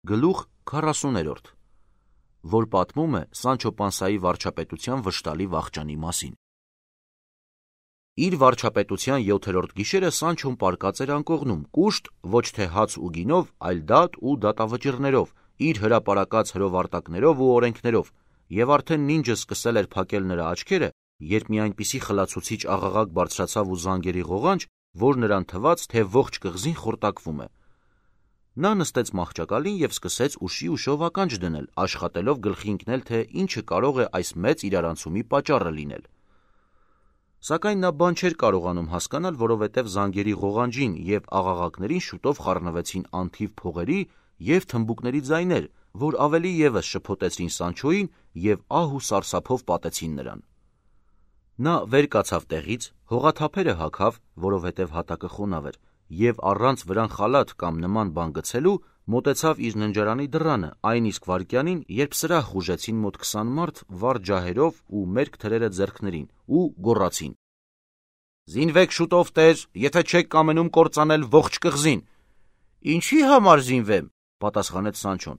Գլուխ 40, որ պատմում է Սանչո Պանսայի վարչապետության վշտալի վախճանի մասին։ Իր վարչապետության 7-րդ գիշերը Սանչոն պարկած էր անկողնում, կուշտ ոչ թե հաց ու գինով, այլ դատ ու դատավճիռներով, իր հրապարակած հրովարտակներով ու օրենքներով, եւ արդեն նինջը սկսել էր փակել նրա աչքերը, երբ մի այնպիսի խլացուցիչ աղաղակ բարձրացավ ու զանգերի ղողանջ, որ նրան թվաց, թե ողջ կղզին խորտակվում է։ Նա նստեց մահճակալին եւ սկսեց ուշի ուշով ականջ դնել, աշխատելով գլխի ընկնել, թե ինչը կարող է այս մեծ իրարանցումի պատճառը լինել։ Սակայն նա բան չէր կարողանում հասկանալ, որովհետև զանգերի ղողանջին եւ աղաղակներին շուտով խառնվեցին անթիվ փողերի եւ թմբուկների ձայներ, որ ավելի եւս շփոթեցին Սանչոյին եւ ահ ու սարսափով պատեցին նրան։ Նա վեր կացավ տեղից, հողաթափերը հագավ, որովհետև հատակը խոնավ էր, եւ առանց վրան խալաթ կամ նման բան գցելու մոտեցավ իր ննջարանի դռանը այն իսկ վայրկյանին, երբ սրահ խուժեցին մոտ 20 մարդ վառ ջահերով ու մերկ թրերը ձեռքներին ու գոռացին. «Զինվեք շուտով, տեր, եթե չեք կամենում կործանել ողջ կղզին»։ «Ինչի համար զինվեմ», պատասխանեց Սանչոն։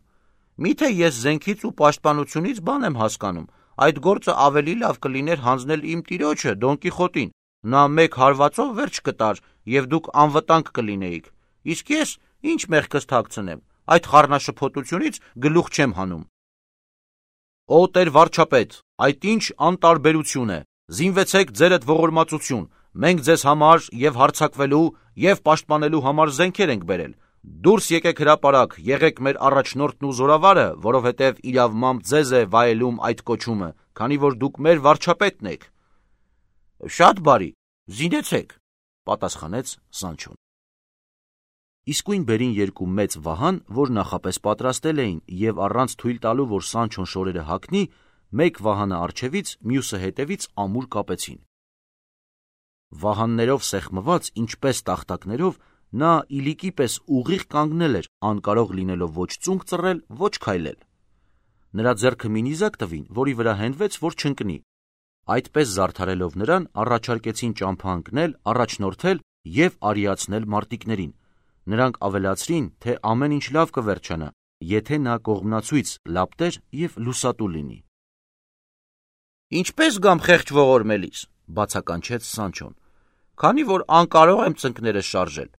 «Միթե ես զենքից ու պաշտպանությունից բան եմ հասկանում, այդ գործը ավելի լավ կլիներ հանձնել իմ տիրոջը Դոն Կիխոտին, նա մեկ հարվածով վերջ կտար եւ դուք անվտանգ կլինեիք, իսկ ես ինչ մեղքս թաքցնեմ, այդ խառնաշփոթությունից գլուխ չեմ հանում»։ «Օ տեր վարչապետ, այդ ինչ անտարբերություն է, զինվեցեք ձերդ ողորմածություն, մենք ձեզ համար եւ հարձակվելու եւ պաշտպանելու համար զենքեր ենք բերել, դուրս եկեք հրապարակ, եղեք մեր առաջնորդն ու զորավարը, որովհետեւ իրավմամբ ձեզ է վայելում այդ կոչումը, քանի որ դուք մեր վարչապետն եք»։ «Շատ բարի, զինեցեք», պատասխանեց Սանչոն։ Իսկույն բերին երկու մեծ վահան, որ նախապես պատրաստել էին, եւ առանց թույլ տալու, որ Սանչոն շորերը հագնի, մեկ վահանը առջևից, մյուսը հետևից ամուր կապեցին։ Վահաններով սեղմված, ինչպես տախտակներով, նա իլիկի պես ուղիղ կանգնել էր, անկարող լինելով ոչ ծունկ ծռել, ոչ քայլել։ Նրա ձեռքը մի նիզակ տվին, որի վրա հենվեց, որ չընկնի։ Այդպես զարդարելով նրան, առաջարկեցին ճամփա ընկնել, առաջնորդել եւ արիացնել մարտիկներին։ Նրանք ավելացրին, թե ամեն ինչ լավ կվերջանա, եթե նա կողմնացույց լապտեր եւ լուսատու լինի։ «Ինչպես գամ խեղճ ողորմելիս», բացականչեց Սանչոն, «քանի որ անկարող եմ ծնկներս շարժել։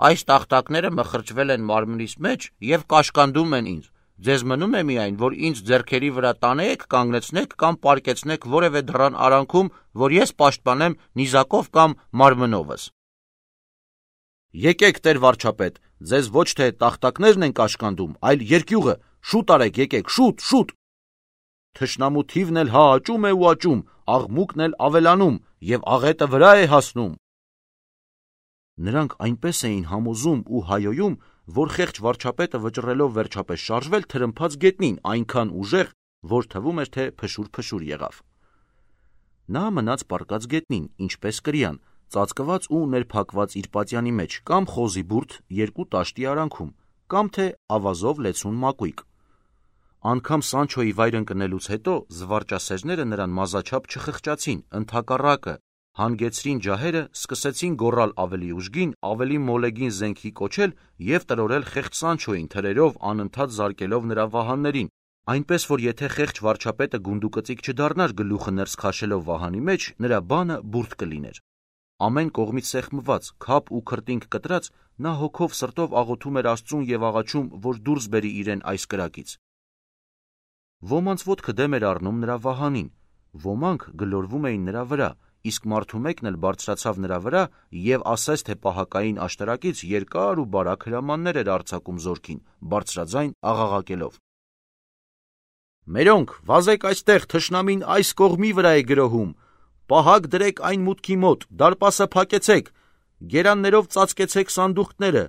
Այս տախտակները մխրճվել են մարմնիս մեջ եւ կաշկանդում են ինձ։ Ձեզ մնում է միայն, որ ինձ ձեռքերի վրա տանեեք, կանգնեցնեք կամ պարկեցնեք որևէ դռան արանքում, որ ես պաշտպանեմ նիզակով կամ մարմնովս»։ «Եկեք, տեր վարչապետ, ձեզ ոչ թե տախտակներն են կաշկանդում, այլ երկյուղը, շուտ արեք, եկեք, շուտ, շուտ։ Թշնամու թիվն էլ հա աճում է ու աճում, աղմուկն էլ ավելանում եւ աղետը վրա է հասնում»։ Նրանք այնպես էին համոզում ու հայոյում, որ խեղճ վարչապետը վճռելով վերջապես շարժվել թրմփաց գետնին այնքան ուժեղ, որ թվում էր, թե փշուր եղավ։ Նա մնաց պառկած գետնին, ինչպես կրիան, ծածկված ու ներփակված իր պատյանի մեջ, կամ խոզի բուրդ երկու տաշտի արանքում, կամ թե ավազով լեցուն մակույկ։ Անգամ Սանչոյի վայր ընկնելուց հետո զվարճասերները նրան մազաչափ չխղճացին, ընդհակառակը, հանգեցրին ջահերը, սկսեցին գոռալ ավելի ուժգին, ավելի մոլեգին զենքի կոչել եւ տրորել խեղճ Սանչոյին թրերով անընդհատ զարկելով նրա վահաններին, այնպես որ եթե խեղճ վարչապետը գունդուկծիկ չդառնար գլուխը ներս քաշելով վահանի մեջ, նրա բանը բուրդ կլիներ։ Ամեն կողմից սեղմված, քապ ու քրտինք կտրած, նա հոգով սրտով աղոթում էր Աստծուն եւ աղաչում, որ դուրս բերի իրեն այս կրակից։ Ոմանց ոտքը դեմ էր առնում նրա վահանին, ոմանք գլորվում էին նրա վրա, իսկ մարդու մեկն էլ բարձրացավ նրա վրա եւ ասես թե պահակային աշտարակից երկար ու բարակ հրամաններ էր արձակում զորքին, բարձրաձայն աղաղակելով. «Մերոնք, վազեք այստեղ, թշնամին այս կողմի վրա է գրոհում, պահակ դրեք այն մուտքի մոտ, դարպասը փակեցեք, գերաններով ծածկեցեք սանդուղքները,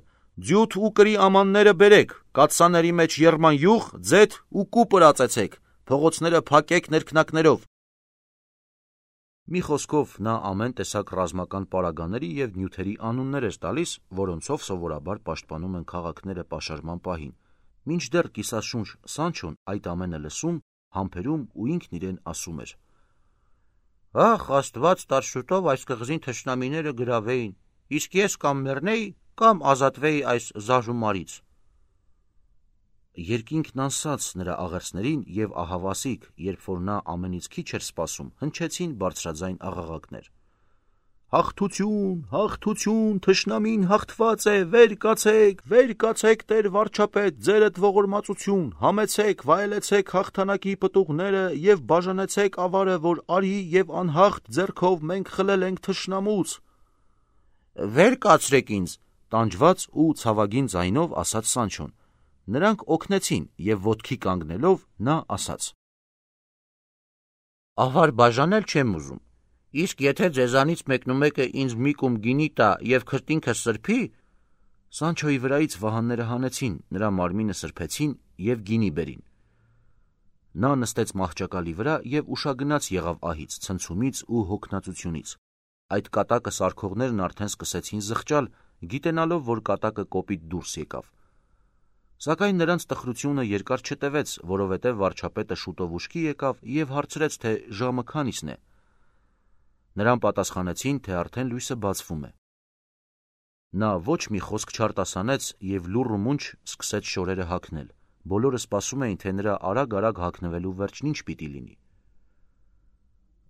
ձյութ ու կրի ամանները բերեք, կաթսաների մեջ եռման յուղ, ձեթ ու կուպր ածեցեք, փողոցները փակեք ներքնակներով»։ Մի խոսքով նա ամեն տեսակ ռազմական պարագաների եւ նյութերի անուններ էր տալիս, որոնցով սովորաբար պաշտպանում են քաղաքները պաշարման պահին, մինչդեռ կիսաշունչ Սանչոն այդ ամենը լսում, համբերում ու ինքն իրեն ասում էր. «Ախ, Աստված տար շուտով այս կղզին թշնամիները գրավեին, իսկ ես կամ մեռնեի, կամ ազատվեի այս զաժումարից»։ Երկինքն անսաց նրա աղերսներին և ահավասիկ, երբ որ նա ամենից քիչ էր սպասում, հնչեցին բարձրաձայն աղաղակներ. «Հաղթություն, հաղթություն, թշնամին հաղթված է, վեր կացեք Տեր վարչապետ, ձերդ ողորմածություն, համեցեք, վայելեցեք հաղթանակի պտուղները և բաժանեցեք ավարը, որ արի և անհաղթ ձեռքով մենք խլել ենք թշնամուց»։ «Վեր կացրեք ինձ», տանջված ու ցավագին ձայնով ասաց Սանչոն։ Նրանք օգնեցին, և ոտքի կանգնելով նա ասաց. «Ավար բաժանել չեմ ուզում, իսկ եթե ձեզանից մեկնումեկը ինձ մի կում գինի տա և քրտինքս սրբի»։ Սանչոյի վրայից վահանները հանեցին, նրա մարմինը սրբեցին և գինի բերին։ Նա նստեց մահճակալի վրա և ուշագնաց եղավ ահից, ցնցումից ու հոգնածությունից։ Այդ կատակը սարքողներն արդեն սկսեցին զղջալ, գիտենալով, որ կատակը կոպիտ դուրս եկավ։ Սակայն նրանց տխրությունը երկար չտևեց, որովհետև վարչապետը շուտով ուշքի եկավ և հարցրեց, թե ժամը քանիսն է։ Նրան պատասխանեցին, թե արդեն լույսը բացվում է։ Նա ոչ մի խոսք չարտասանեց և լուռ ու մունջ սկսեց շորերը հագնել։ Բոլորը սպասում էին, թե նրա արագ-արագ հագնվելու վերջն ինչ պիտի լինի։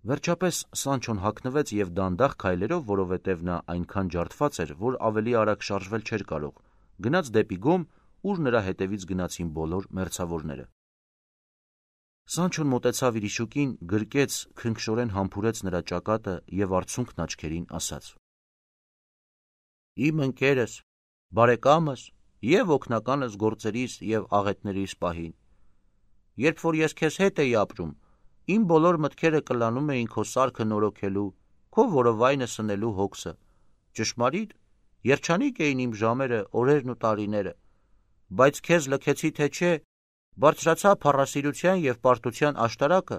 Վերջապես Սանչոն հագնվեց և դանդաղ քայլերով, որովհետև նա այնքան ջարդված էր, որ ավելի արագ շարժվել չէր կարող, գնաց դեպի գոմ, ուր նրա հետևից գնացին բոլոր մերձավորները։ Սանչոն մոտեցավ իր իշուկին, գրկեց, քնքշորեն համբուրեց նրա ճակատը և արցունքն աչքերին ասաց. «Իմ ընկերս, բարեկամս և օգնականս գործերիս և աղետներիս պահին։ Երբ որ ես քեզ հետ էի ապրում, իմ բոլոր մտքերը կլանում էին քո սարքը նորոգելու, քո որովայնը սնելու հոգսը։ Ճշմարիտ, երջանիկ էին իմ ժամերը, օրերն ու տարիները, բայց քեզ լքեցի թե չէ, բարձրացա փառասիրության և պարտության աշտարակը,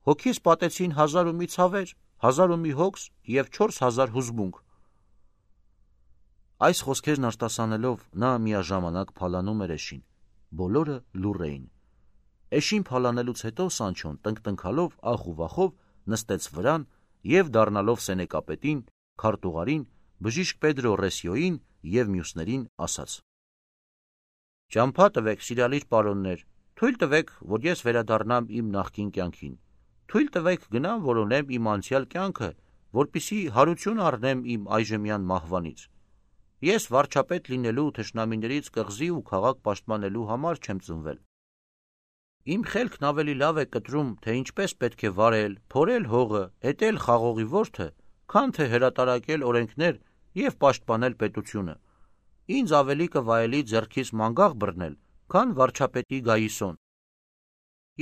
հոգիս պատեցին 1000 ու մի ցավեր, 1000 ու մի հոգս և 4000 հուզմունք»։ Այս խոսքերն արտասանելով նա միաժամանակ փալանում էր էշին։ Բոլորը լուռ էին։ Էշին փալանելուց հետո Սանչոն տնկտնքալով ախ ու վախով նստեց վրան և դառնալով սենեկապետին, քարտուղարին, բժիշկ Պեդրո Ռեսիոյին և մյուսներին ասաց. «Ճամփա տվեք, սիրալիր պարոններ, թույլ տվեք, որ ես վերադառնամ իմ նախկին կյանքին, թույլ տվեք գնամ որոնեմ իմ անցյալ կյանքը, որպեսզի հարություն առնեմ իմ այժմյան մահվանից։ Ես վարչապետ լինելու, թշնամիներից կղզի ու քաղաք պաշտպանելու համար չեմ ծնվել։ Իմ խելքն ավելի լավ է կտրում, թե ինչպես պետք է վարել, փորել հողը, էտել խաղողի որդը, քան թե հրատարակել օրենքներ և պաշտպանել պետությունը։ Ինձ ավելի կվայելի ձեռքիս մանգաղ բռնել, քան վարչապետի գայիսոն։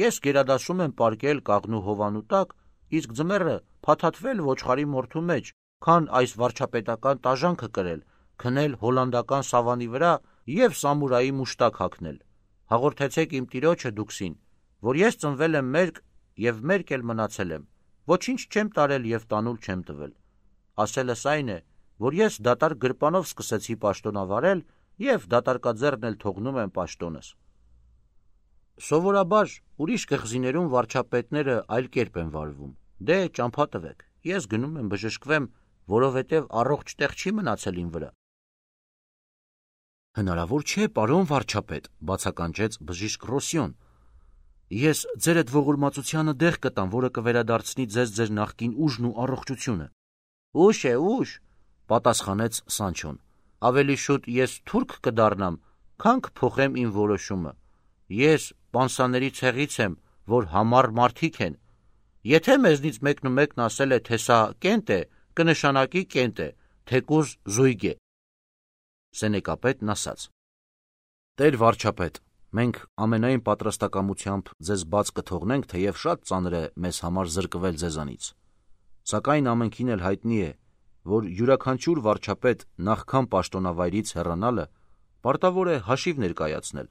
Ես գերադասում եմ պառկել կաղնու հովանու տակ, իսկ ձմեռը փաթաթվել ոչխարի մորթու մեջ, քան այս վարչապետական տաժանքը կրել, քնել հոլանդական սավանի վրա և սամուրայի մուշտակ հագնել։ Հաղորդեցեք իմ տիրոջը դուքսին, որ ես ծնվել եմ մերկ և մերկ էլ մնացել եմ, ոչինչ չեմ տարել և տանուլ չեմ տվել։ Ասելս այն է, որ ես դատարկ գրպանով սկսեցի պաշտոնավարել և դատարկաձեռն էլ թողնում եմ պաշտոնս։ Սովորաբար ուրիշ կղզիներում վարչապետները այլ կերպ են վարվում։ Դե ճամփա տվեք, ես գնում եմ բժշկվեմ, որովհետև առողջ տեղ չի մնացել իմ վրա»։ «Հնարավոր չէ, պարոն վարչապետ», բացականչեց բժիշկ Ռոսիոն։ «Ես ձերդ ողորմածությանը դեղ կտամ, որը կվերադարձնի ձեզ ձեր նախկին ուժն ու առողջությունը»։ «Ուշ է, ուշ», պատասխանեց Սանչոն։ «Ավելի շուտ ես թուրք կդառնամ, քան կփոխեմ իմ որոշումը։ Ես պանսաների ցեղից եմ, որ համառ մարդիկ են։ Եթե մեզնից մեկնումեկն ասել է, թե սա կենտ է, կնշանակի կենտ է, թեկուզ զույգ է»։ Սենեկապետն ասաց. «Տեր վարչապետ, մենք ամենայն պատրաստակամությամբ ձեզ բաց կթողնենք, թեև շատ ծանր է մեզ համար զրկվել ձեզանից։ Սակայն ամենքին էլ հայտնի է, որ յուրաքանչյուր վարչապետ նախքան պաշտոնավայրից հեռանալը պարտավոր է հաշիվ ներկայացնել։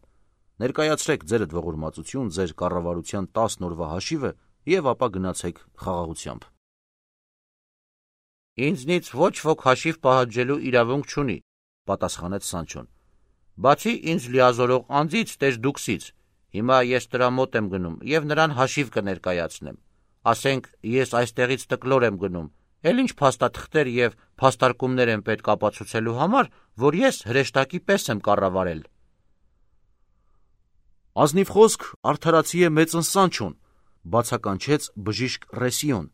Ներկայացրեք ձերդ ողորմածություն ձեր կառավարության 10 օրվա հաշիվը և ապա գնացեք խաղաղությամբ»։ «Ինձնից ոչ ոք հաշիվ պահանջելու իրավունք չունի», պատասխանեց Սանչոն, «բացի ինձ լիազորող անձից տեր դուքսից։ Հիմա ես տրամոտ եմ գնում և նրան հաշիվ կներկայացնեմ։ Ասենք ես այստեղից տկլոր եմ գնում, էլ ինչ փաստաթղթեր և փաստարկումներ եմ պետք ապացուցելու համար, որ ես հրեշտակի պես եմ կառավարել»։ Ազնիվ խոսք արդարացի է մեծն Սանչոն, բացականչեց բժիշկ Ռեսիոն։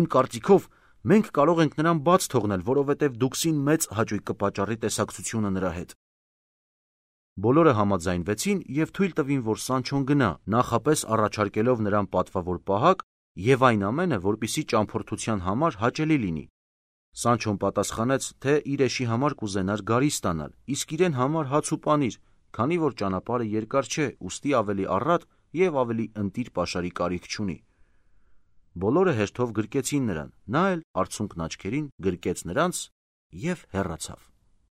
Իմ կարծիքով մենք կարող ենք նրան բաց թողնել, որովհետև դուքսին մեծ հաճույք կպատճառի տեսակցությունը նրա հետ։ Բոլորը համաձայնվեցին և թույլ տվին, որ Սանչոն գնա, նախապես առաջարկելով նրան պատվավոր պահակ և այն ամենը, որպեսզի ճամփորդության համար հաճելի լինի։ Սանչոն պատասխանեց, թե իր էշի համար կուզենար գարի ստանալ, իսկ իրեն համար հաց ու պանիր, քանի որ ճանապարհը երկար չէ, ուստի ավելի առատ և ավելի ընտիր պաշարի կարիք չունի։ Բոլորը հերթով գրկեցին նրան, նա էլ արցունքն աչքերին գրկեց նրանց և հեռացավ։